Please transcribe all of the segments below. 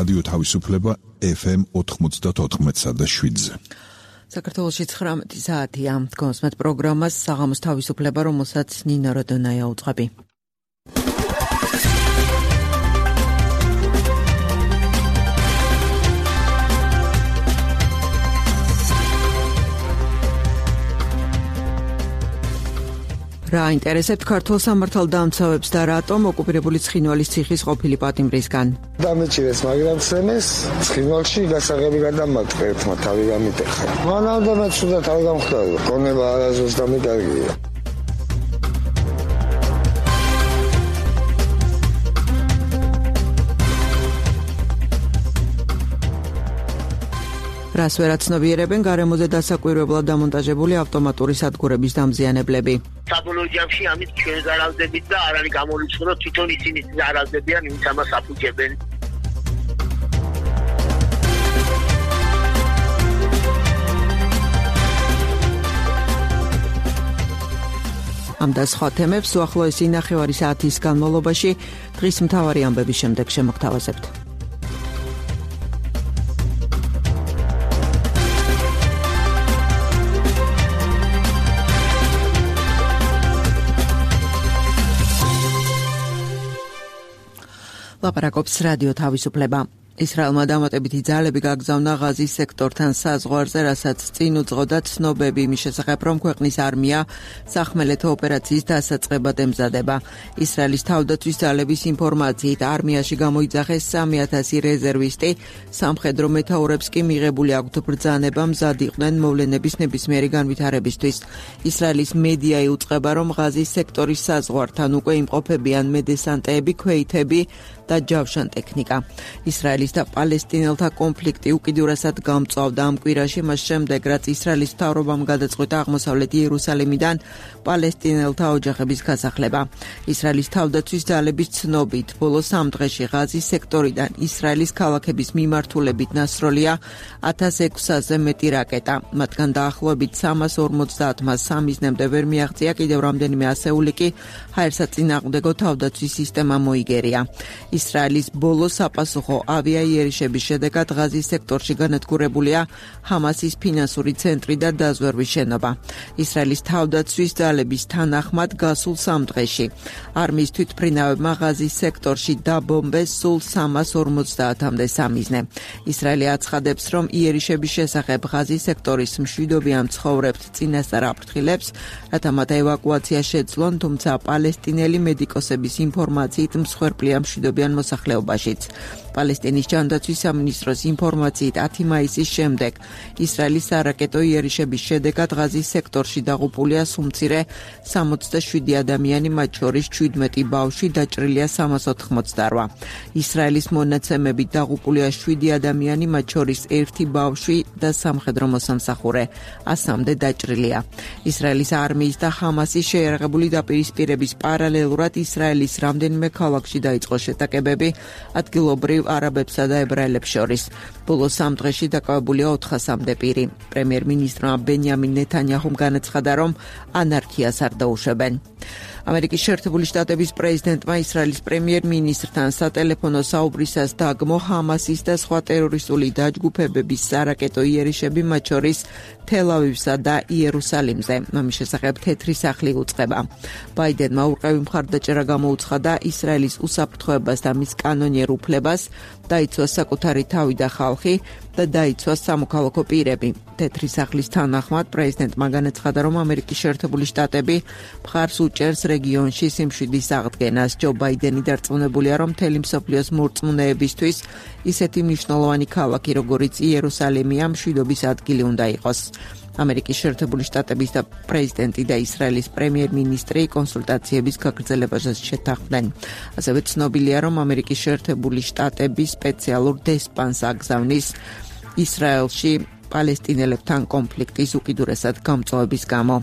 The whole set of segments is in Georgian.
რადიო თავისუფლება FM 94.7-ზე. საქართველოში 19 საათია. გონსმეთ პროგრამას საღამოს თავისუფლება, რომელსაც ნინო როდონაია უძღვები. რა ინტერესებთ ქართულ სამართალდამცავებს და რატომ ოკუპირებული ცხინვალის ციხის ყოფილი პატიმრისგან? დამეჭირეს, მაგრამ სცემეს ცხინვალში გასაღები გადამატყე ერთმა თავი გამიტეხა. მანამდე მე ცუდა თავი გამხდარა. გონება არაზუსტ დამიკარგია. რას ვერაცნობიერებენ გარემოზე დასაკვირვებლად დამონტაჟებული ავტომატური სადგურების დამზიანებლები. საბოლოო ჯამში ამით ჩვენ ზარალდებით და არ არის გამორიცხული, რომ თვითონ ისინი ზარალდებიან, ვინც ამას აფუძებენ. ამ და სხვა თემებს უახლოესი ნახევარი საათის განმავლობაში დღის მთავარი ამბების შემდეგ შემოგთავაზებთ. ლაპარაკობს რადიო თავისუფლება. ისრაელმა დამატებითი ძალები გაგზავნა ღაზის სექტორთან საზღვარზე, რასაც წინ უძღოდა ცნობები იმის შესახებ, რომ ქვეყნის არმია სახმელეთო ოპერაციის დასაწყებად ემზადება. ისრაელის თავდაცვის ძალების ინფორმაციით არმიაში გამოიძახეს 3,000 რეზერვისტი, სამხედრო მეთაურებს კი მიღებული აქვთ ბრძანება მზად იყვნენ მოვლენების ნებისმიერი განვითარებისთვის. ისრაელის მედია იუწყება, რომ ღაზის სექტორის საზღვართან უკვე იმყოფებიან მედესანტეები, ქვეითები და ჯავშან ტექნიკა. ისრაელის და პალესტინელთა კონფლიქტი უკიდურესად გამწვავდა ამ კვირაში, მას შემდეგ, რაც ისრაელის მთავრობამ გადაწყვიტა აღმოსავლეთ იერუსალიმიდან პალესტინელთა ოჯახების გასახლება. ისრაელის თავდაცვის ძალების ცნობით, ბოლო 3 დღეში ღაზის სექტორიდან ისრაელის ქალაქების მიმართულებით დასროლია 1600-ზე მეტი რაკეტა. მათგან დაახლოებით 350-მა სამიზნემდე ვერ მიაღწია, კიდევ რამდენიმე ასეული კი ჰაერსაწინააღმდეგო თავდაცვის სისტემა მოიგერია. ისრაელის ბოლო საპასუხო ავიაიერიშების შედეგად ღაზის სექტორში განადგურებულია ჰამასის ფინანსური ცენტრი და დაზვერვის შენობა. ისრაელის თავდაცვის ძალების თანახმად გასულ 3 დღეში არმიის თვითმფრინავებმა ღაზის სექტორში დაბომბეს სულ 350-მდე სამიზნე. ისრაელი აცხადებს, რომ იერიშების შესახებ ღაზის სექტორის მშვიდობიან მცხოვრებთ წინასწარ აფრთხილებს, რათა მათ ევაკუაცია შეძლონ, თუმცა პალესტინელი მედიკოსების ინფორმაციით მსხვერპლია მშვიდობიან მოსახლეობაშიც. პალესტინის ჯანდაცვის სამინისტროს ინფორმაციით 10 მაისის შემდეგ ისრაელის სარაკეტო იერიშების შედეგად ღაზის სექტორში დაღუპულია სუმცირე 67 ადამიანი, მათ შორის 17 ბავშვი, დაჭრილია 388. ისრაელის მონაცემებით დაღუპულია 7 ადამიანი, მათ შორის 1 ბავშვი და სამხედრო მოსამსახურე, 100-მდე დაჭრილია. ისრაელის არმიის და ჰამასის შეიარაღებული დაპირისპირების პარალელურად ისრაელის რამდენიმე ქალაქში დაიწყო შეტაკებები ადგილობრივ არაბებსა და ებრაელებს შორის. ბოლო 3 დღეში დაკავებულია 400-მდე პირი. პრემიერ-მინისტრმა ბენიამინ ნეთანიაჰუმ განაცხადა, რომ ანარქიას არ დაუშვებენ. ამერიკის შეერთებული შტატების პრეზიდენტმა ისრაელის პრემიერ-მინისტრთან სატელეფონო საუბრისას დაგმო ჰამასის და სხვა ტერორისტული დაჯგუფებების სარაკეტო იერიშები, მათ შორის თელ-ავივსა და იერუსალიმზე. ამის შესახებ თეთრი სახლი უწყება. ბაიდენმა ურყევი მხარდაჭერა გამოუცხადა ისრაელის უსაფრთხოებას და მის კანონიერ უფლებას, დაიცვას საკუთარი თავი და ხალხი და დაიცვას სამოქალაქო პირები. თეთრი სახლის თანახმად პრეზიდენტმა განაცხადა, რომ ამერიკის შეერთებული შტატები მხარს უჭერს რეგიონში სიმშვიდის აღდგენას. ჯო ბაიდენი დარწმუნებულია, რომ მთელი მსოფლიოს მორწმუნეებისთვის ისეთი მნიშვნელოვანი ქალაქი, როგორიც იერუსალიმია, მშვიდობის ადგილი უნდა იყოს. ამერიკის შეერთებული შტატების და პრეზიდენტი და ისრაელის პრემიერ-მინისტრი კონსულტაციების გაგრძელებასაც შეთანხმდნენ. ასევე ცნობილია, რომ ამერიკის შეერთებული შტატები სპეციალურ დესპანს აგზავნის ისრაელში პალესტინელებთან კონფლიქტის უკიდურესად გამწვავების გამო.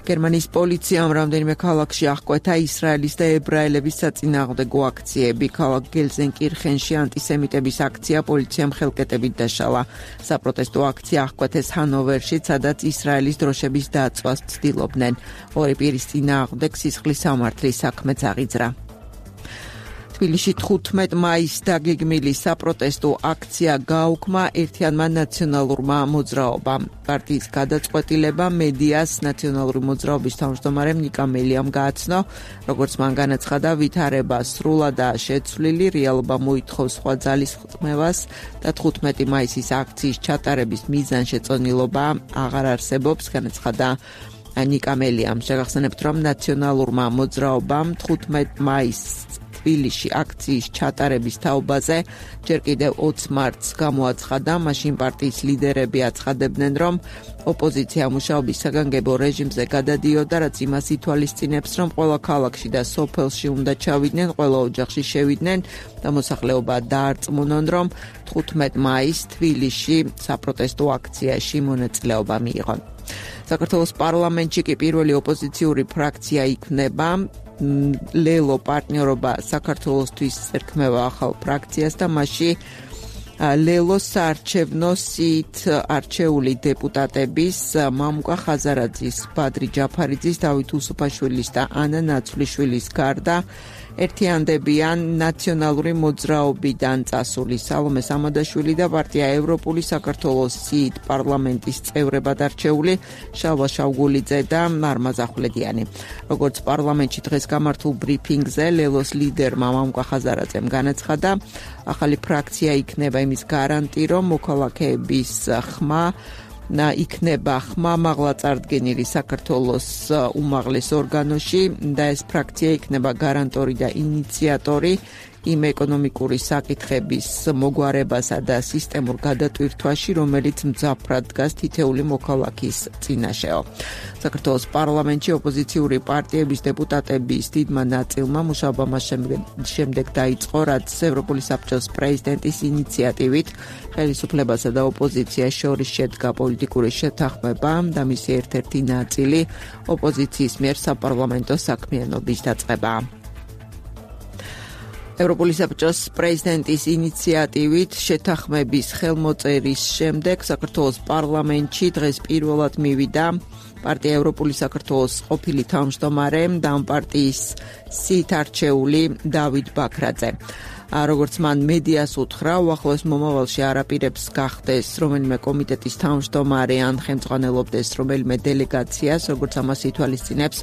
გერმანიის პოლიციამ რამდენიმე ქალაქში აღკვეთა ისრაელის და ებრაელების საწინააღმდეგო აქციები. ქალაქ გელზენკირხენში ანტისემიტების აქცია პოლიციამ ხელკეტებით დაშალა. საპროტესტო აქცია აღკვეთეს ჰანოვერში, სადაც ისრაელის დროშების დაწვას ცდილობდნენ. ორი პირის წინააღმდეგ სისხლის სამართლის საქმეც აღიძრა. თბილისში 15 მაისს დაგეგმილი საპროტესტო აქცია გააუქმა ერთიანმა ნაციონალურმა მოძრაობამ. პარტიის გადაწყვეტილება მედიას ნაციონალური მოძრაობის თავმჯდომარემ ნიკა მელიამ გააცნო, როგორც მან განაცხადა, ვითარება სრულადაა შეცვლილი, რეალობა მოითხოვს სხვა ძალისხმევას და 15 მაისის აქციის ჩატარების მიზანშეწონილობა აღარ არსებობს, განაცხადა ნიკა მელიამ. შეგახსენებთ, რომ ნაციონალურმა მოძრაობამ 15 მაისს თბილისში აქციის ჩატარების თაობაზე ჯერ კიდევ 20 მარტს გამოაცხადა. მაშინ პარტიის ლიდერები აცხადებდნენ, რომ ოპოზიცია მუშაობის საგანგებო რეჟიმზე გადადიოდა, რაც იმას ითვალისწინებს, რომ ყველა ქალაქში და სოფელში უნდა ჩავიდნენ, ყველა ოჯახში შევიდნენ და მოსახლეობა დაარწმუნონ, რომ 15 მაისს თბილისში საპროტესტო აქციაში მონაწილეობა მიიღონ. საქართველოს პარლამენტში კი პირველი ოპოზიციური ფრაქცია იქნება. ლელო პარტნიორობა საქართველოსთვის ერქმევა ახალ ფრაქციას და მასში ლელოს საარჩევნო სიით არჩეული დეპუტატების მამუკა ხაზარაძის, ბადრი ჯაფარიძის, დავით უსუფაშვილის და ანა ნაცვლიშვილის გარდა ერთიანდებიან ნაციონალური მოძრაობიდან წასული სალომე სამადაშვილი და პარტია ევროპული საქართველოს სიით პარლამენტის წევრებად არჩეული შალვა შავგულიძე და მარმაზ ახვლედიანი. როგორც პარლამენტში დღეს გამართულ ბრიფინგზე ლელოს ლიდერმა მამუკა ხაზარაძემ განაცხადა, ახალი ფრაქცია იქნება იმის გარანტი, რომ მოქალაქეების ხმა იქნება ხმამაღლა წარდგენილი საქართველოს უმაღლეს ორგანოში და ეს ფრაქცია იქნება გარანტორი და ინიციატორი იმ ეკონომიკური საკითხების მოგვარებასა და სისტემურ გადატვირთვაში, რომელიც მძაფრად დგას თითეული მოქალაქის წინაშეო. საქართველოს პარლამენტში ოპოზიციური პარტიების დეპუტატების დიდმა ნაწილმა მუშაობა მას შემდეგ დაიწყო, რაც ევროპული საბჭოს პრეზიდენტის ინიციატივით ხელისუფლებასა და ოპოზიციას შორის შედგა პოლიტიკური შეთანხმება და მისი ერთ-ერთი ნაწილი ოპოზიციის მიერ საპარლამენტო საქმიანობის დაწყება. ევროპული საბჭოს პრეზიდენტის ინიციატივით შეთანხმების ხელმოწერის შემდეგ საქართველოს პარლამენტში დღეს პირველად მივიდა პარტია ევროპული საქართველოს ყოფილი თავმჯდომარე და ამ პარტიის სიით არჩეული დავით ბაქრაძე. როგორც მან მედიას უთხრა, უახლოეს მომავალში არაპირებს გახდეს რომელიმე კომიტეტის თავმჯდომარე ან ხელმძღვანელობდეს რომელიმე დელეგაციას, როგორც ამას ითვალისწინებს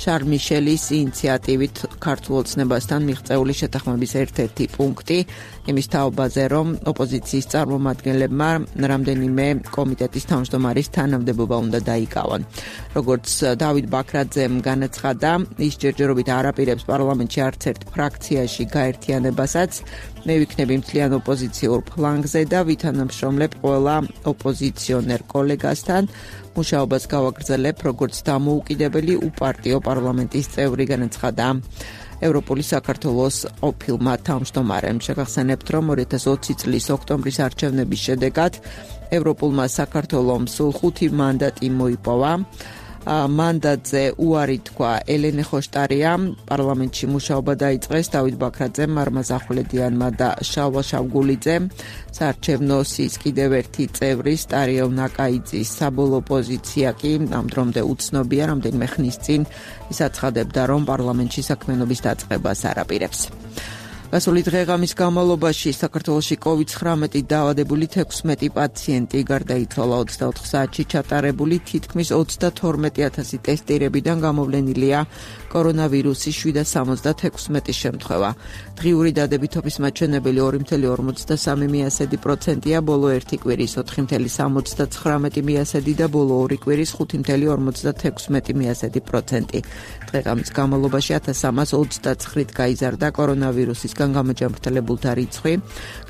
შარლ მიშელის ინიციატივით ქართულ ოცნებასთან მიღწეული შეთანხმების ერთ-ერთი პუნქტი, იმის თაობაზე, რომ ოპოზიციის წარმომადგენლებმა რამდენიმე კომიტეტის თავმჯდომარის თანამდებობა უნდა დაიკავონ. როგორც დავით ბაქრაძემ განაცხადა, ის ჯერჯერობით არაპირებს პარლამენტში არც ერთ ფრაქციაში გაერთიანებასაც, მე ვიქნები მთლიან ოპოზიციურ ფლანგზე და ვითანამშრომლებ ყველა ოპოზიციონერ კოლეგასთან, მუშაობას გავაგრძელებ როგორც დამოუკიდებელი უპარტიო პარლამენტის წევრი, განაცხადა ევროპული საქართველოს ყოფილმა თავმჯდომარემ. შეგახსენებთ, რომ 2020 წლის ოქტომბრის არჩევნების შედეგად ევროპულმა საქართველომ სულ 5 მანდატი მოიპოვა. მანდატზე უარი თქვა ელენე ხოშტარიამ, პარლამენტში მუშაობა დაიწყეს დავით ბაქრაძემ, მარმაზ ახვლედიანმა და შალვა შავგულიძემ. საარჩევნო სიის კიდევ ერთი წევრი სტარიელ ნაკაიძის საბოლოო პოზიცია კი ამ დრომდე უცნობია, რამდენიმე ხნის წინ ის აცხადებდა, რომ პარლამენტში საქმიანობის დაწყებას არაპირებს. გასული დღეღამის განმავლობაში საქართველოში COVID-19 დაავადებული 16 პაციენტი გარდაიცვალა. 24 საათში ჩატარებული თითქმის 32,000 ტესტირებიდან გამოვლენილია კორონავირუსის 776 შემთხვევა. დღიური დადებითობის მაჩვენებელი 2,53%-ია, ბოლო ერთი კვირის 4,79% და ბოლო ორი კვირის 5,56%. დღეღამის განმავლობაში 1329-ით გაიზარდა კორონავირუსისგან გამოჯანმრთელებულთა რიცხვი.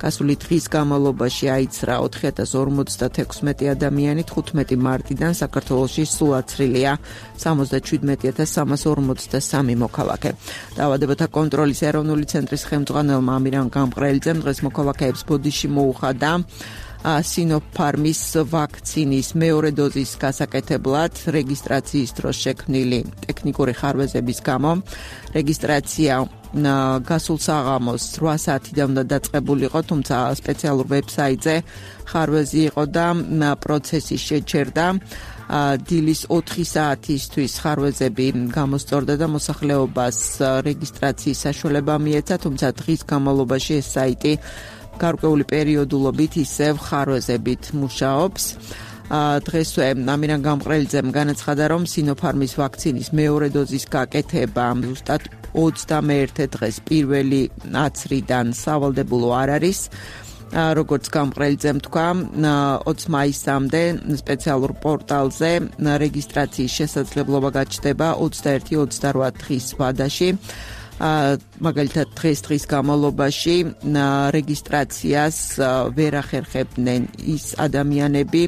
გასული დღის განმავლობაში აიცრა 4056 ადამიანი, 15 მარტიდან საქართველოში სულ აცრილია 77,343 მოქალაქე. დაავადებათა კონტროლის ეროვნული ცენტრის ხელმძღვანელმა ამირან გამყრელიძემ დღეს მოქალაქეებს ბოდიში მოუხადა სინოფარმის ვაქცინის მეორე დოზის გასაკეთებლად რეგისტრაციის დროს შექმნილი ტექნიკური ხარვეზების გამო. რეგისტრაცია გასულ საღამოს 8 საათიდან უნდა დაწყებულიყო, თუმცა სპეციალურ ვებსაიტზე ხარვეზი იყო და პროცესი შეჩერდა. დილის 4 საათისთვის ხარვეზები გამოსწორდა და მოსახლეობას რეგისტრაციის საშუალება მიეცა, თუმცა დღის განმავლობაში ეს საიტი გარკვეული პერიოდულობით ისევ ხარვეზებით მუშაობს. დღესვე ამირან გამყრელიძემ განაცხადა, რომ სინოფარმის ვაქცინის მეორე დოზის გაკეთება ზუსტად 21 დღეს პირველი აცრიდან სავალდებულო არ არის. როგორც გამყრელიძემ თქვა, 20 მაისამდე სპეციალურ პორტალზე რეგისტრაციის შესაძლებლობა გაჩნდება 21-28 დღის ვადაში. მაგალითად დღის განმავლობაში რეგისტრაციას ვერ ახერხებდნენ ის ადამიანები,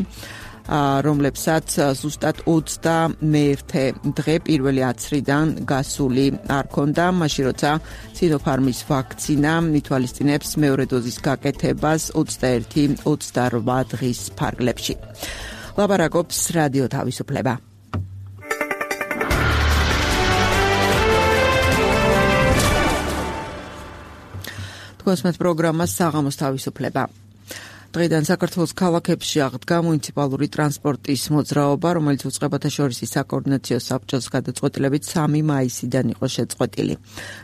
რომლებსაც ზუსტად 21 დღე პირველი აცრიდან გასული არ ქონდა, მაშინ როცა სინოფარმის ვაქცინა ითვალისწინებს მეორე დოზის გაკეთებას 21-28 დღის ფარგლებში. ლაპარაკობს რადიო თავისუფლება. თქვენს პროგრამას საღამოს თავისუფლება. დღიდან საქართველოს ქალაქებში აღდგა მუნიციპალური ტრანსპორტის მოძრაობა, რომელიც უწყებათა შორის საკოორდინაციო საბჭოს გადაწყვეტილებით 3 მაისიდან იყო შეწყვეტილი.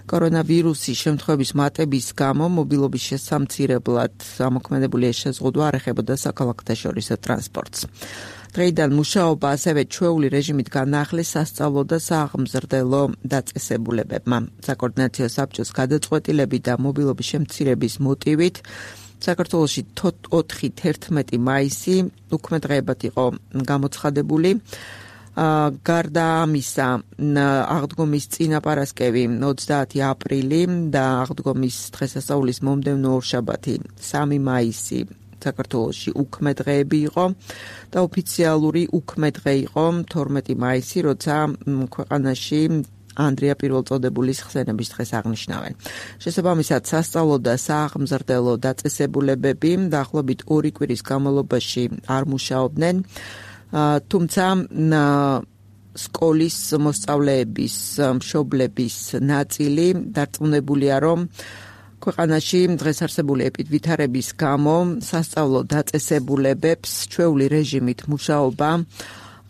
კორონავირუსის შემთხვევების მატების გამო მობილობის შესამცირებლად ამოქმედებული ეს შეზღუდვა არ ეხებოდა საქალაქოთა შორის ტრანსპორტს. დღეიდან მუშაობა ასევე ჩვეული რეჟიმით განაახლეს სასწავლო და სააღმზრდელო დაწესებულებებმა. საკოორდინაციო საბჭოს გადაწყვეტილებით და მობილობის შემცირების მოტივით საქართველოში 4-11 მაისი უქმე დღეებად იყო გამოცხადებული. გარდა ამისა, აღდგომის წინაპარასკევი 30 აპრილი და აღდგომის დღესასწაულის მომდევნო ორშაბათი 3 მაისი საქართველოში უქმე დღეები იყო და ოფიციალური უქმე დღე იყო 12 მაისი, როცა ქვეყანაში ანდრია პირველწოდებულის ხსენების დღეს აღნიშნავენ. შესაბამისად, სასწავლო და სააღმზრდელო დაწესებულებები დაახლოებით 2 კვირის განმავლობაში არ მუშაობდნენ, თუმცა სკოლის მოსწავლეების მშობლების ნაწილი დარწმუნებულია, რომ ქვეყანაში დღეს არსებული ეპიდვითარების გამო სასწავლო დაწესებულებებს ჩვეული რეჟიმით მუშაობა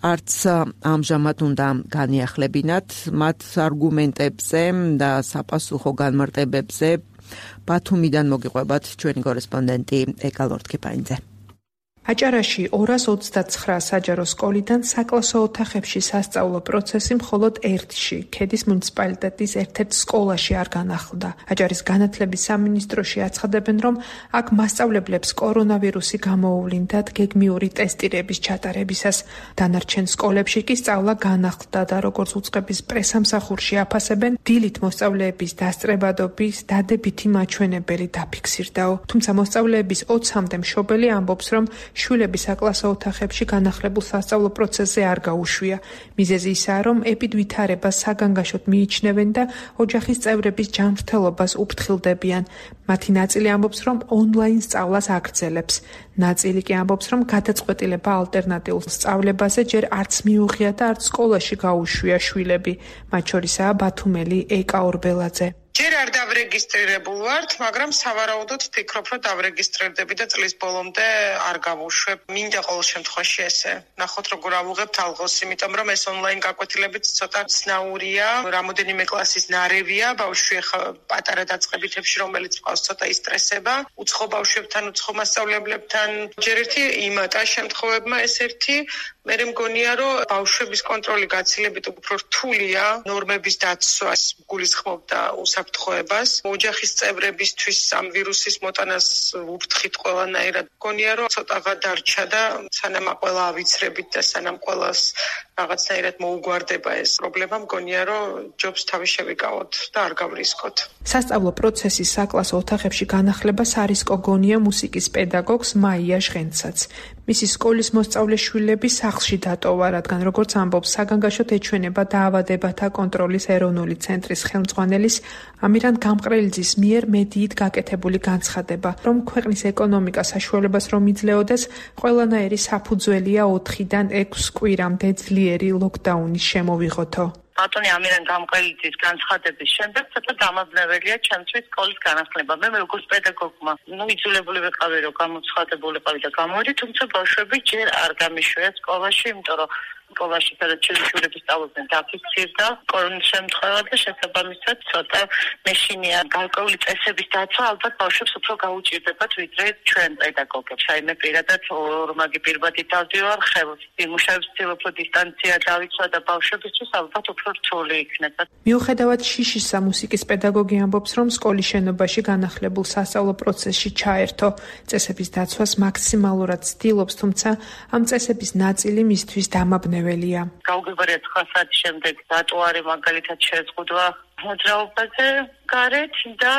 არც ამჟამად უნდა განიახლებინათ. მათ არგუმენტებზე და საპასუხო განმარტებებზე ბათუმიდან მოგიყვებათ ჩვენი კორესპონდენტი ეკა ლორთქიფაინძე. აჭარაში 229 საჯარო სკოლიდან საკლასო ოთახებში სასწავლო პროცესი მხოლოდ ერთში, ქედის მუნიციპალიტეტის ერთ-ერთ სკოლაში არ განახლდა. აჭარის განათლების სამინისტროში აცხადებენ, რომ აქ მასწავლებლებს კორონავირუსი გამოუვლინდათ გეგმიური ტესტირების ჩატარებისას. დანარჩენ სკოლებში კი სწავლა განახლდა და როგორც უწყების პრესამსახურში აფასებენ, დილით მოსწავლეების დასწრებადობის დადებითი მაჩვენებელი დაფიქსირდაო. თუმცა მოსწავლეების 20-მდე მშობელი ამბობს, რომ შვილები საკლასო ოთახებში განახლებულ სასწავლო პროცესზე არ გაუშვია. მიზეზი ისაა, რომ ეპიდვითარებას საგანგაშოდ მიიჩნევენ და ოჯახის წევრების ჯანმრთელობას უფრთხილდებიან. მათი ნაწილი ამბობს, რომ ონლაინ სწავლას აგრძელებს. ნაწილი კი ამბობს, რომ გადაწყვეტილება ალტერნატიულ სწავლებაზე ჯერ არც მიუღია და არც სკოლაში გაუშვია შვილები. მათ შორისაა ბათუმელი ეკა ორბელაძე. ჯერ არ დავრეგისტრირებულ ვართ, მაგრამ სავარაუდოდ ვფიქრობ, რომ დავრეგისტრირდები და წლის ბოლომდე არ გავუშვებ. მინდა ყოველ შემთხვევაში ესე. ნახოთ როგორ ავუღებთ ალღოს, იმიტომ რომ ეს ონლაინ გაკვეთილებიც ცოტა ცნაურია, რამოდენიმე კლასის ნარევია, ბავშვი ახლა პატარა დაწყებითებში, რომელიც ყავს ცოტა ისტრესება, უცხო ბავშვებთან, უცხო მასწავლებლებთან. ჯერ ერთი იმატა შემთხვევებმა ეს ერთი, მე მგონია, რომ ბავშვების კონტროლი გაცილებით უფრო რთულია, ნორმების დაცვას გულისხმობდა უსაფრთხოებას. ოჯახის წევრებისთვის ამ ვირუსის მოტანას ვუფრთხით ყველანაირად. მგონია, რომ ცოტაღა დარჩა და სანამ ყველა ავიცრებით და სანამ ყველას რაღაცნაირად მოუგვარდება ეს პრობლემა, მგონია, რომ ჯობს თავი შევიკავოთ და არ გავრისკოთ. სასწავლო პროცესის საკლასო ოთახებში განახლებას არისკო გონია მუსიკის პედაგოგს მაია ჟღენცაც. მისი სკოლის მოსწავლე შვილები სახლში დატოვა, რადგან როგორც ამბობს საგანგაშოდ ეჩვენება დაავადებათა კონტროლის ეროვნული ცენტრის ხელმძღვანელის ამირან გამყრელიძის მიერ მედიით გაკეთებული განცხადება, რომ ქვეყნის ეკონომიკა საშუალებას რომ იძლეოდეს, ყველანაირი საფუძველია 4-დან 6 კვირამდე ძლიერი ლოკდაუნის შემოვიღოთო. ბატონი ამირან გამყრელიძის განცხადების შემდეგ ცოტა დამაბნეველია ჩემთვის სკოლის განახლება. მე როგორც პედაგოგმა, იძულებული ვიყავი, რომ გამოცხადებულიყავი და გამოვიდი, თუმცა ბავშვები ჯერ არ გამიშვია სკოლაში, იმიტომ რომ სკოლაში სადაც შვილები სწავლობდნენ დაფიქსირდა კორონის შემთხვევა და შესაბამისად ცოტა მეშინია გარკვეული წესების დაცვა ალბათ ბავშვებს უფრო გაუჭირდებათ ვიდრე ჩვენ პედაგოგებს. აი მე პირადად ორმაგი პირბადი დავდივარ ხელს იმუშავებს უფრო დისტანცია დავიცვა და ბავშვებისთვის ალბათ უფრო რთული იქნება. მიუხედავად შიშისა მუსიკის პედაგოგი ამბობს, რომ სკოლის შენობაში განახლებულ სასწავლო პროცესში ჩაერთო, წესების დაცვას მაქსიმალურად ცდილობს, თუმცა ამ წესების ნაწილი მისთვის დამაბნეველია. გაუგებარია 9 საათის შემდეგ რატო არის მაგალითად შეზღუდვა მოძრაობაზე გარეთ და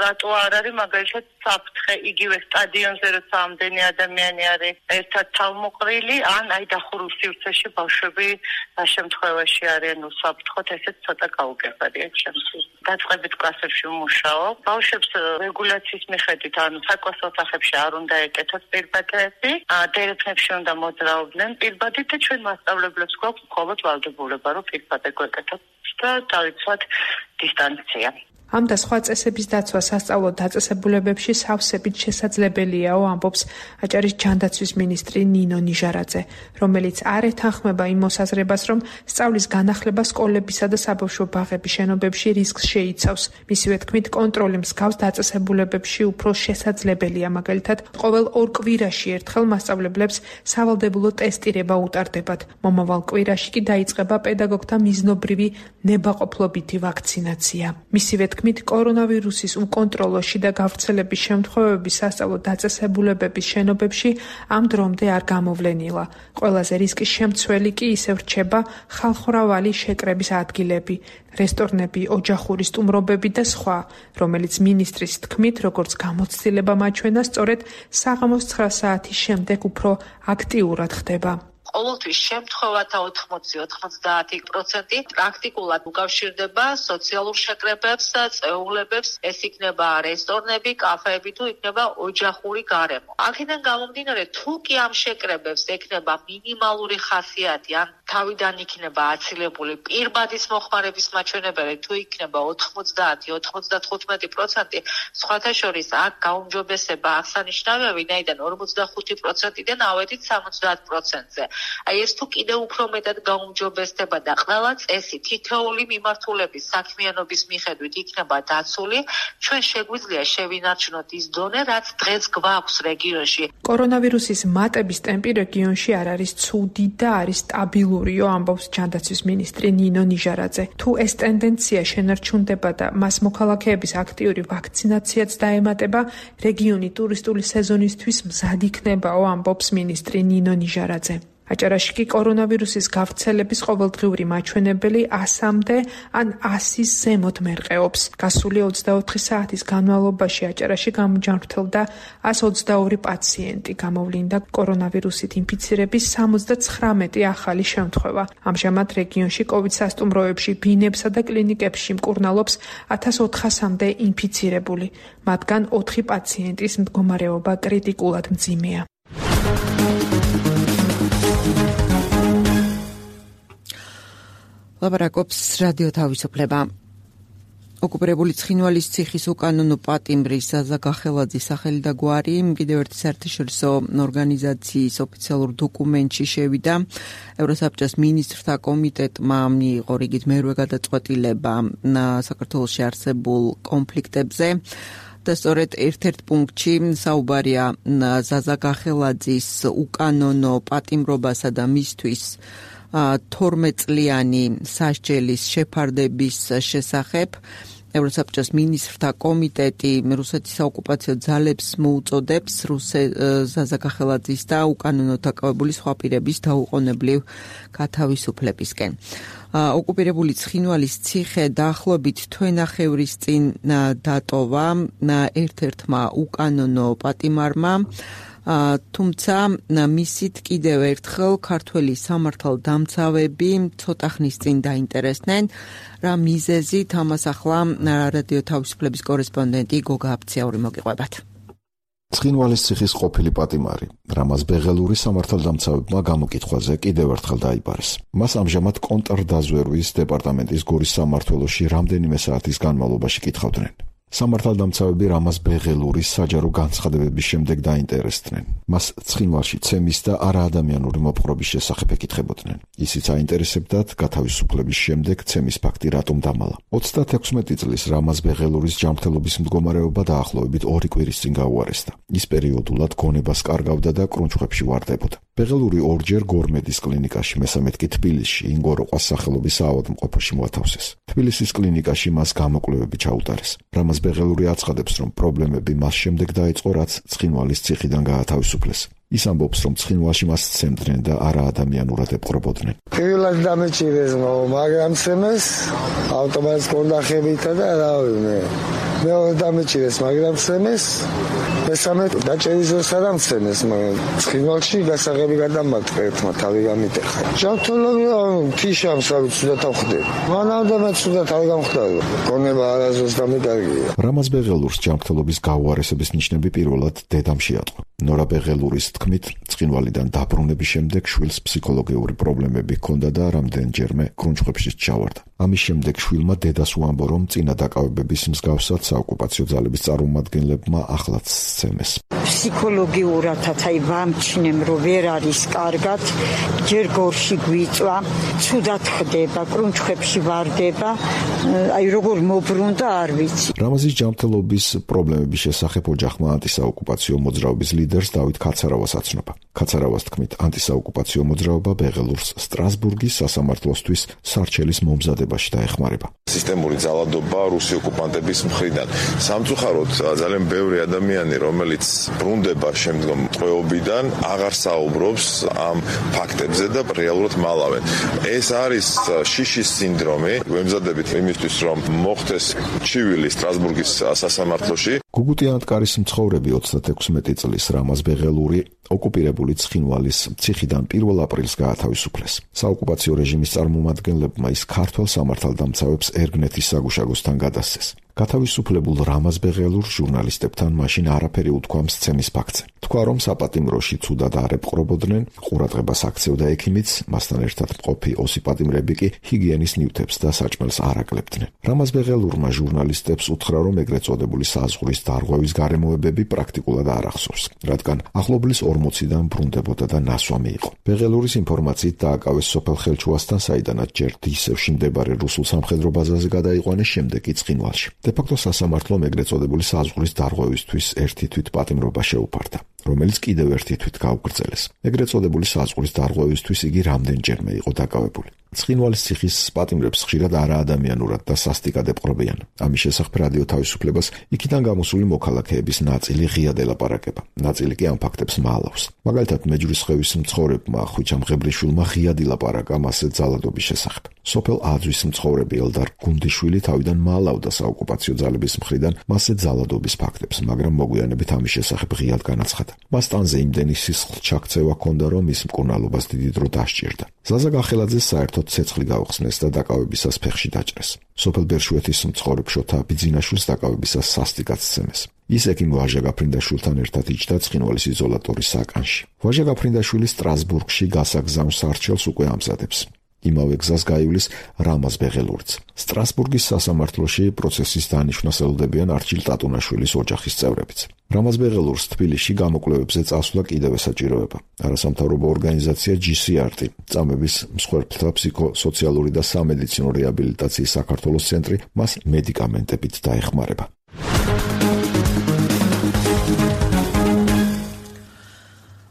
რატო არ არის მაგალითად საფრთხე იგივე სტადიონზე როცა ამდენი ადამიანი არის ერთად თავმოყრილი ან აი დახურულ სივრცეში ბავშვები შემთხვევაში არიან უსაფრთხოდ ესეც ცოტა გაუგებარია ჩემთვის. დაწყებით კლასებში ვმუშაობ. ბავშვებს რეგულაციის მიხედვით ანუ საკლასო ოთახებში არ უნდა ეკეთოთ პირბადეები, დერეფნებში უნდა მოძრაობდნენ პირბადით და ჩვენ მასწავლებლებს გვაქვს მხოლოდ ვალდებულება რომ პირბადე გვეკეთოთ და დავიცვათ დისტანცია. ამ და სხვა წესების დაცვა სასწავლო დაწესებულებებში სავსებით შესაძლებელიაო, ამბობს აჭარის ჯანდაცვის მინისტრი ნინო ნიჟარაძე, რომელიც არ ეთანხმება იმ მოსაზრებას, რომ სწავლის განახლება სკოლებისა და საბავშვო ბაღების შენობებში რისკს შეიცავს. მისივე თქმით, კონტროლი მსგავს დაწესებულებებში უფრო შესაძლებელია, მაგალითად, ყოველ 2 კვირაში ერთხელ მასწავლებლებს სავალდებულო ტესტირება უტარდებათ. მომავალ კვირაში კი დაიწყება პედაგოგთა მიზნობრივი ნებაყოფლობითი ვაქცინაცია. მისივე თქმით, კორონავირუსის უკონტროლოში და გავრცელების შემთხვევების სასწავლო დაწესებულებების შენობებში ამ დრომდე არ გამოვლენილა. ყველაზე რისკის შემცველი კი ისევ რჩება ხალხმრავალი შეკრების ადგილები, რესტორნები, ოჯახური სტუმრობები და სხვა, რომელიც მინისტრის თქმით, როგორც გამოცდილება მაჩვენა, სწორედ საღამოს 9 საათის შემდეგ უფრო აქტიურად ხდება. ყოველთვის შემთხვევათა 80-90% პრაქტიკულად უკავშირდება სოციალურ შეკრებებს და წეულებებს, ეს იქნება რესტორნები, კაფეები თუ იქნება ოჯახური გარემო. აქედან გამომდინარე, თუ კი ამ შეკრებებს ექნება მინიმალური ხასიათი, ან თავიდან იქნება აცილებული პირბადის მოხმარების მაჩვენებელი, თუ იქნება 90-95%, სხვათა შორის აქ გაუმჯობესება აღსანიშნავია, ვინაიდან 45%-დან ავედით 70%-ზე. აი ეს თუ კიდევ უფრო მეტად გაუმჯობესდება და ყველა წესი თითოეული მიმართულების საქმიანობის მიხედვით იქნება დაცული, ჩვენ შეგვიძლია შევინარჩუნოთ ის დონე, რაც დღეს გვაქვს რეგიონში. კორონავირუსის მატების ტემპი რეგიონში არ არის ცუდი და არის სტაბილურიო, ამბობს ჯანდაცვის მინისტრი ნინო ნიჟარაძე. თუ ეს ტენდენცია შენარჩუნდება და მას მოქალაქეების აქტიური ვაქცინაციაც დაემატება, რეგიონი ტურისტული სეზონისთვის მზად იქნებაო, ამბობს მინისტრი ნინო ნიჟარაძე. აჭარაში კი კორონავირუსის გავრცელების ყოველდღიური მაჩვენებელი 100-მდე ან 100-ის ზემოთ მერყეობს. გასული 24 საათის განმავლობაში აჭარაში გამოჯანმრთელდა 122 პაციენტი, გამოვლინდა კორონავირუსით ინფიცირების 79 ახალი შემთხვევა. ამჟამად რეგიონში COVID სასტუმროებში, ბინებსა და კლინიკებში მკურნალობს 1400-მდე ინფიცირებული. მათგან 4 პაციენტის მდგომარეობა კრიტიკულად მძიმეა. ლაპარაკობს რადიო თავისუფლება. ოკუპირებული ცხინვალის ციხის უკანონო პატიმრის ზაზა გახელაძის სახელი და გვარი კიდევ ერთი საერთაშორისო ორგანიზაციის ოფიციალურ დოკუმენტში შევიდა. ევროსაბჭოს მინისტრთა კომიტეტმა მიიღო რიგით მერვე გადაწყვეტილება საქართველოში არსებულ კონფლიქტებზე. და სწორედ ერთ-ერთ პუნქტში საუბარია ზაზა გახელაძის უკანონო პატიმრობასა და მისთვის 12 წლიანი სასჯელის შეფარდების შესახებ. ევროსაბჭოს მინისტრთა კომიტეტი რუსეთის საოკუპაციო ძალებს მოუწოდებს ზაზა გახელაძის და უკანონოდ დაკავებული სხვა პირების დაუყოვნებლივ გათავისუფლებისკენ. ოკუპირებული ცხინვალის ციხე დაახლოებით თვენახევრის წინ დატოვა ერთ-ერთმა უკანონო პატიმარმა, თუმცა მისით კიდევ ერთხელ ქართველი სამართალდამცავები ცოტა ხნის წინ დაინტერესდნენ, რა მიზეზით ამას ახლა რადიო თავისუფლების კორესპონდენტი გოგა აფციაური მოგიყვებათ. ცხინვალის ციხის ყოფილი პატიმარი რამაზ ბეღელური სამართალდამცავებმა გამოკითხვაზე კიდევ ერთხელ დაიბარეს. მას ამჟამად კონტრდაზვერვის დეპარტამენტის გორის სამმართველოში რამდენიმე საათის განმავლობაში კითხავდნენ. სამართალდამცავები რამაზ ბეღელურის საჯარო განცხადებების შემდეგ დაინტერესდნენ. მას ცხინვალში ცემის და არაადამიანური მოპყრობის შესახებ ეკითხებოდნენ. ისიც აინტერესებდათ გათავისუფლების შემდეგ ცემის ფაქტი რატომ დამალა. 36 წლის რამაზ ბეღელურის ჯანმრთელობის მდგომარეობა დაახლოებით 2 კვირის წინ გაუარესდა. ის პერიოდულად გონებას კარგავდა და კრუნჩხვებში ვარდებოდა. ბეღელური ორჯერ გორმედის კლინიკაში, მესამედ კი თბილისში, ინგოროყვას სახელობის საავადმყოფოში მოათავსეს. თბილისის კლინიკაში მას გამოკვლევები ჩაუტარეს. რამაზ ბეღელური აცხადებს, რომ პრობლემები მას შემდეგ დაიწყო, რაც ცხინვალის ციხიდან გაათავისუფლეს. ის ამბობს, რომ ცხინვალში მას ცემდნენ და არაადამიანურად ეპყრობოდნენ. პირველად დამეჭირეს, მაგრამ ცემეს ავტომატს კონდახებითა და რავი, მეორე დამეჭირეს, მაგრამ ცემეს, მესამე დაჭერის დროს არ ამცემეს, მაგრამ ცხინვალში გასაღები გადამარტყა ერთმა თავი გამიტეხა. ჯანმრთელობა თიშამ სავით ცუდად ავხდები. მანამდე ცუდად არ გამხდარა. გონება არასდროს დამეკარგია. რამაზ ბეღელურს ჯანმრთელობის გაუარესების ნიშნები პირველად დედამ შეატყო. ნორა ბეღელურის თქმით, ცხინვალიდან დაბრუნების შემდეგ შვილს ფსიქოლოგიური პრობლემები ჰქონდა და რამდენჯერმე კრუნჩხვებში ჩავარდა. ამის შემდეგ შვილმა დედას უამბო, რომ წინა დაკავებების მსგავსად საოკუპაციო ძალების წარმომადგენლებმა ახლაც სცემეს. ფსიქოლოგიურადაც ვამჩნევ, რომ ვერ არის კარგად, ჯერ გორში გვიწვა, ცუდად ხდება, კრუნჩხვებში ვარდება, როგორ მობრუნდა არ ვიცი. რამაზის ჯანმრთელობის პრობლემების შესახებ ოჯახმა ანტისაოკუპაციო მოძრაობის ლიდერს დავით ქაცარავას აცნობა. ქაცარავას თქმით, ანტისაოკუპაციო მოძრაობა ბეღელურს სტრასბურგის სასამართლოსთვის სარჩელის მომზადებაში დაეხმარება. სისტემური ძალადობა რუსი ოკუპანტების მხრიდან. სამწუხაროდ ძალიან ბევრი ადამიანი, რომელიც ბრუნდება შემდგომ ტყვეობიდან, აღარ საუბრობს ამ ფაქტებზე და რეალურად მალავენ. ეს არის შიშის სინდრომი. ვემზადებით იმისთვის, რომ მოხდეს ჩივილი სტრასბურგის სასამართლოში. გუგუტიანტკარის მცხოვრები 36 წლის რამაზ ბეღელური ოკუპირებული ცხინვალის ციხიდან 1 აპრილს გაათავისუფლეს. საოკუპაციო რეჟიმის წარმომადგენლებმა ის ქართველ სამართალდამცავებს ერგნეთის საგუშაგოსთან გადასცეს. გათავისუფლებულ რამაზ ბეღელურს ჟურნალისტებთან მაშინ არაფერი უთქვა მცემის ფაქტზე. თქვა, რომ საპატიმროში ცუდად არ ეპყრობოდნენ, ყურადღებას აქცევდა ექიმიც, მასთან ერთად მყოფი ოსიპატიმრები კი ჰიგიენის ნივთებს და საჭმელს არ აკლებდნენ. რამაზ ბეღელურმა ჟურნალისტებს უთხრა, რომ ეგრეთ წოდებული საზღვრის დარღვევის გარემოებები პრაქტიკულად არ ახსოვს, რადგან ახლობლის 40-დან ბრუნდებოდა და ნასვამი იყო. ბეღელურის ინფორმაციით დააკავეს სოფელ ხელჩუასთან, საიდანაც ჯერ დისევში მდებარე რუსულ სამხედრო ბაზაზე გადაიყვანეს, შემდეგ კი ცხინვალში. დე-ფაქტო სასამართლომ ეგრეთ წოდებული საზღვრის დარღვევისთვის ერთი თვით პატიმრობა შეუფარდა, რომელიც კიდევ ერთი თვით გაუგრძელეს. ეგრეთ წოდებული საზღვრის დარღვევისთვის იგი რამდენჯერმე იყო დაკავებული. ცხინვალის ციხის პატიმრებს ხშირად არაადამიანურად და სასტიკად ეპყრობიან. ამის შესახებ რადიო თავისუფლებას იქიდან გამოსული მოქალაქეების ნაწილი ღიად ელაპარაკება, ნაწილი კი ამ ფაქტებს მალავს. მაგალითად, მეჯვრისხევის მცხოვრებმა ხვიჩა მღებრიშვილმა ღიად ილაპარაკა მასზე ძალადობის შესახებ. სოფელ აძვის მცხოვრები ელდარ გუნდიშვილი თავიდან მალავდა საოკუპაციო ძალების მხრიდან მასზე ძალადობის ფაქტებს, მაგრამ მოგვიანებით ამის შესახებ ღიად განაცხადა. მას ტანზე იმდენი სისხლ ჩაქცევა ჰქონდა, რომ ის მკურნალობას დიდი დრო დასჭირდა. ზაზა გახელაძე საერთოდ ცეცხლი გაუხსნეს და დაკავებისას ფეხში დაჭრეს. სოფელ ბერშვეთის მცხოვრებ შოთა ბიძინაშვილს დაკავებისას სასტიკად სცემეს. ის ექიმ ვაჟა გაფრინდაშვილთან ერთად იჯდა ცხინვალის იზოლატორის საკანში. ვაჟა გაფრინდაშვილი სტრასბურგში გასაგზავნ სარჩელს უკვე ამზადებს. იმავე გზას გაივლის რამაზ ბეღელურიც. სტრასბურგის სასამართლოში პროცესის დანიშვნას ელოდებიან არჩილ ტატუნაშვილის ოჯახის წევრებიც. რამაზ ბეღელურს თბილისში გამოკვლევებზე წასვლა კიდევ ესაჭიროება. არასამთავრობო ორგანიზაცია GCRT, წამების მსხვერპლთა ფსიქოსოციალური და სამედიცინო რეაბილიტაციის საქართველოს ცენტრი მას მედიკამენტებით დაეხმარება.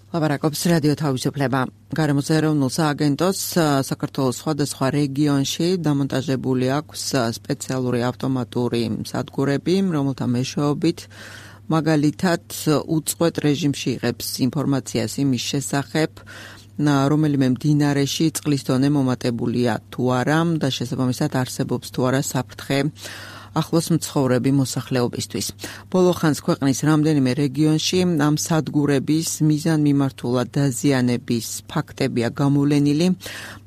ლაპარაკობს რადიო თავისუფლება. გარემოზე ეროვნულ სააგენტოს საქართველოს სხვადასხვა რეგიონში დამონტაჟებული აქვს სპეციალური ავტომატური სადგურები, რომელთა მეშვეობით მაგალითად უწყვეტ რეჟიმში იღებს ინფორმაციას იმის შესახებ, რომელიმე მდინარეში წყლის დონე მომატებულია თუ არა და შესაბამისად არსებობს თუ არა საფრთხე ახლოს მცხოვრები მოსახლეობისთვის. ბოლო ხანს ქვეყნის რამდენიმე რეგიონში ამ სადგურების მიზანმიმართულად დაზიანების ფაქტებია გამოვლენილი,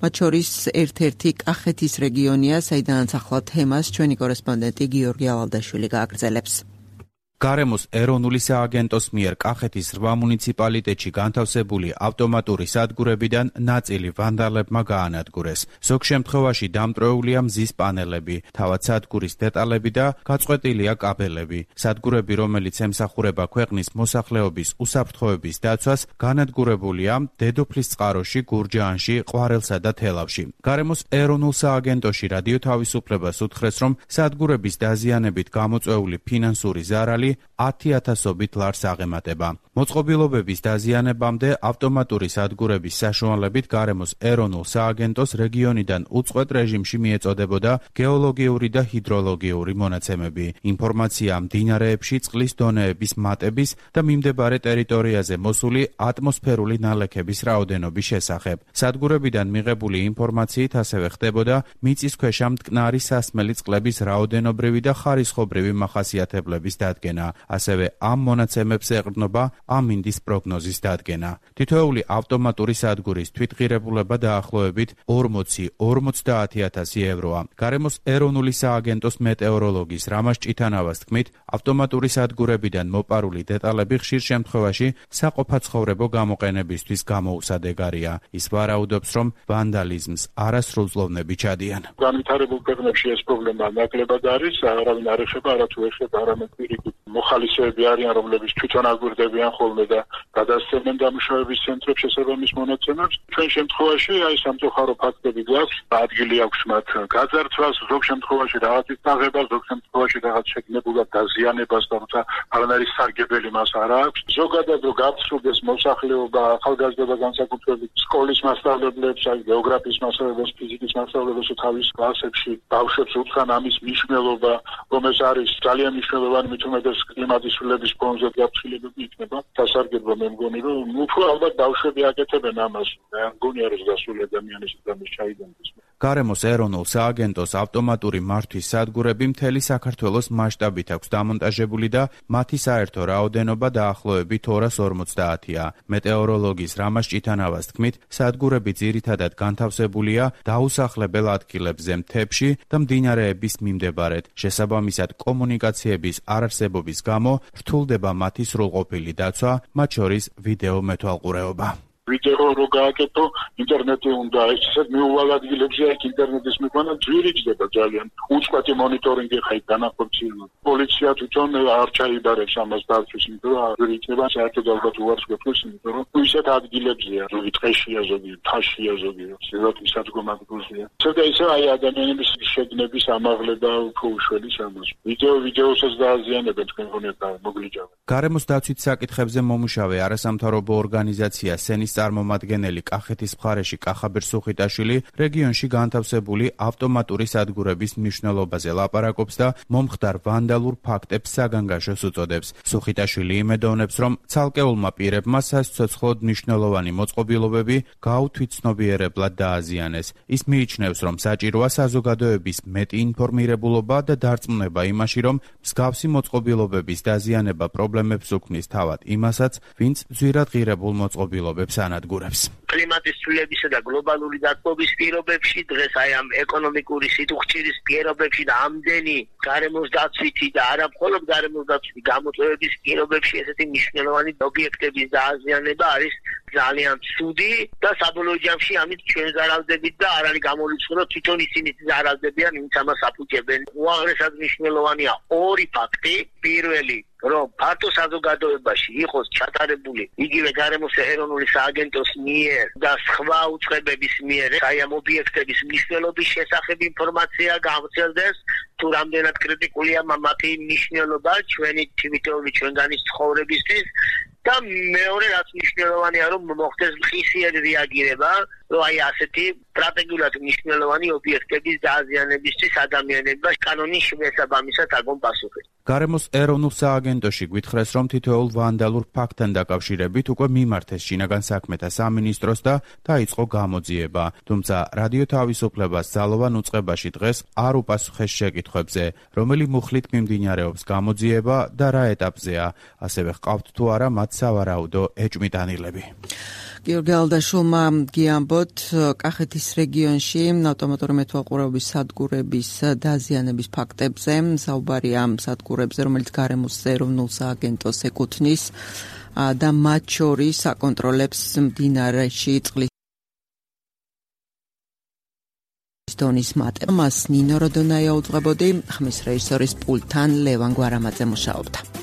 მათ შორის ერთ-ერთი კახეთის რეგიონია, საიდანაც ახლა თემას ჩვენი კორესპონდენტი გიორგი ალალდაშვილი გააგრძელებს. გარემოს ეროვნული სააგენტოს მიერ კახეთის 8 მუნიციპალიტეტში განთავსებული ავტომატური სადგურებიდან ნაწილი ვანდალებმა გაანადგურეს. ზოგ შემთხვევაში დამტვრეულია მზის პანელები, თავად სადგურის დეტალები და გაწყვეტილია კაბელები. სადგურები, რომელიც ემსახურება ქვეყნის მოსახლეობის უსაფრთხოების დაცვას, განადგურებულია დედოფლის წყაროში, გურჯაანში, ყვარელსა და თელავში. გარემოს ეროვნულ სააგენტოში რადიო თავისუფლებას უთხრეს, რომ სადგურების დაზიანებით გამოწვეული ფინანსური ზარალი 10,000-ობით ლარს აღემატება. მოწყობილობების დაზიანებამდე ავტომატური სადგურების საშუალებით გარემოს ეროვნულ სააგენტოს რეგიონიდან უწყვეტ რეჟიმში მიეწოდებოდა გეოლოგიური და ჰიდროლოგიური მონაცემები. ინფორმაცია მდინარეებში წყლის დონეების მატების და მიმდებარე ტერიტორიაზე მოსული ატმოსფერული ნალექების რაოდენობის შესახებ. სადგურებიდან მიღებული ინფორმაციით ასევე ხდებოდა მიწისქვეშა მტკნარი სასმელი წყლების რაოდენობრივი და ხარისხობრივი მახასიათებლების დადგენა. ასევე ამ მონაცემებს ეყრდნობა ამინდის პროგნოზის დადგენა. თითოეული ავტომატური სადგურის თვითღირებულება დაახლოებით 40-50,000 ევროა. გარემოს ეროვნული სააგენტოს მეტეოროლოგის რამაზ ჭითანავას თქმით, ავტომატური სადგურებიდან მოპარული დეტალები ხშირ შემთხვევაში საყოფაცხოვრებო გამოყენებისთვის გამოუსადეგარია. ის ვარაუდობს, რომ ვანდალიზმს არასრულწლოვნები ჩადიან. განვითარებულ ქვეყნებში ეს პრობლემა ნაკლებად არის, არავინ არ ეხება, არათუ ეხება არამედ პირიქით მოხალისეები არიან, რომლებიც თვითონ აგვირდებიან ხოლმე და გადასცემენ დამუშავების ცენტრებს შესაბამის მონაცემებს. ჩვენ შემთხვევაში აი სამწუხარო ფაქტები გვაქვს, ადგილი აქვს მათ გაძარცვას, ზოგ შემთხვევაში რაღაცის დაღებას, ზოგ შემთხვევაში რაღაც შეგნებულად დაზიანებას, თუმცა არანაირი სარგებელი მას არ აქვს. ზოგადად რო გაფსრულდეს მოსახლეობა, ახალგაზრდა განსაკუთრებით სკოლის მასწავლებლებს, აი გეოგრაფიის მასწავლებლებს, ფიზიკის მასწავლებლებს თავის კლასებში ბავშვებს უთხრან ამის მნიშვნელობა, რომ ეს არის ძალიან მნიშვნელოვანი, მით უმეტეს კლიმატის ცვლილების ფონზე გაფრთხილებები იქნება. დასარგებლო მე მგონი, რომ უფრო ალბათ ბავშვები აკეთებენ ამას. მე მგონია, რომ გასული ადამიანის დამის ჩაიდენდეს. გარემოს ეროვნულ სააგენტოს ავტომატური მართვის სადგურები მთელი საქართველოს მასშტაბით აქვს დამონტაჟებული და მათი საერთო რაოდენობა დაახლოებით 250-ია. მეტეოროლოგის რამაზ ჭითანავას თქმით, სადგურები ძირითადად განთავსებულია დაუსახლებელ ადგილებზე მთებში და მდინარეების მიმდებარედ. შესაბამისად, კომუნიკაციების არარსებობის გამო რთულდება მათი სრულყოფილი დაცვა, მათ შორის ვიდეო მეთვალყურეობა. ვიდეო რო გააკეთო, ინტერნეტი უნდა ეს ისეთ მიუვალ ადგილებზე აქ ინტერნეტის მიყვანა ძვირიჭდება ძალიან. უწყვეტი მონიტორინგი ხაით განახორციელება. პოლიცია თვითონ არ ჩაიბარებს ამას დაცვის, იმიტომ რომ ძვირიჭდება საერთოდ ალბათ უარს გვექნეს, იმიტომ რომ ისეთ ადგილებზეა, ზოგი ტყეშია, ზოგი თაშია, ზოგი სილვათის სადგომადგურზეა. ცოტა ისე აი ადამიანების შეგნების ამაღლება უფრო უშველის ამას. ვიდეოსაც დააზიანებენ თქვენ გონიათ და მოგლიჯავენ. გარემოს დაცვით საკითხებზე მომუშავე არასამთავრობო ორგანიზაცია სენის წარმომადგენელი კახეთის მხარეში კახაბერ სუხიტაშვილი რეგიონში განთავსებული ავტომატური სადგურების მნიშვნელობაზე ლაპარაკობს და მომხდარ ვანდალურ ფაქტებს საგანგაშოს უწოდებს. სუხიტაშვილი იმედოვნებს, რომ ცალკეულმა პირებმა სასიცოცხლოდ მნიშვნელოვანი მოწყობილობები გაუთვითცნობიერებლად დააზიანეს. ის მიიჩნევს, რომ საჭიროა საზოგადოების მეტი ინფორმირებულობა და დარწმუნება იმაში, რომ მსგავსი მოწყობილობების დაზიანება პრობლემებს უქმნის თავად იმასაც, ვინც ძვირად ღირებულ მოწყობილობებს ანადგურებს. კლიმატის ცვლილებისა და გლობალური დათბობის პირობებში დღეს აი ამ ეკონომიკური სიტუხჭირის პირობებში და ამდენი გარემოს დაცვითი და არა მხოლოდ გარემოს დაცვითი გამოწვევების პირობებში ესეთი მნიშვნელოვანი ობიექტების დააზიანება არის ძალიან ცუდი და საბოლოო ჯამში ამით ჩვენ ზარალდებით და არ არის გამოლიცხული, რომ თვითონ ისინი ზარალდებიან, ვინც ამას აფუჭებენ. უაღრესად მნიშვნელოვანია ორი ფაქტი. პირველი, რომ ფართო საზოგადოებაში იყოს ჩატარებული იგივე გარემოს ეროვნული სააგენტოს მიერ და სხვა უწყებების მიერ აი ამ ობიექტების მნიშვნელობის შესახებ ინფორმაცია გავრცელდეს, თუ რამდენად კრიტიკულია მათი მნიშვნელობა ჩვენი თვითონი ჩვენგანის ცხოვრებისთვის. და მეორე რაც მნიშვნელოვანია, რომ მოხდეს ხისიერი რეაგირება, რომ აი ასეთი სტრატეგიულად მნიშვნელოვანი ობიექტების დააზიანებისთვის ადამიანებმა კანონის შესაბამისად აგონ პასუხი. გარემოს ეროვნულ სააგენტოში გვითხრეს, რომ თითოეულ ვანდალურ ფაქტთან დაკავშირებით უკვე მიმართეს შინაგან საქმეთა სამინისტროს და დაიწყო გამოძიება. თუმცა რადიო თავისუფლებას ძალოვან უწყებაში დღეს არ უპასუხეს შეკითხვებზე, რომელი მუხლით მიმდინარეობს გამოძიება და რა ეტაპზეა, ასევე ჰყავთ თუ არა მათ სავარაუდო ეჭვმიტანილები. გიორგი ალდაშულმა გიამბო დავიწყოთ კახეთის რეგიონში ავტომატური მეთვალყურეობის სადგურების დაზიანების ფაქტებზე. საუბარია ამ სადგურებზე, რომელიც გარემოს ეროვნულ სააგენტოს ეკუთვნის და მათ შორის აკონტროლებს მდინარეში წყლის დონის მატებას. ნინო როდონაია უძღვებოდი, ხმის რეჟისორის პულტთან ლევან გვარამაძე მუშაობდა.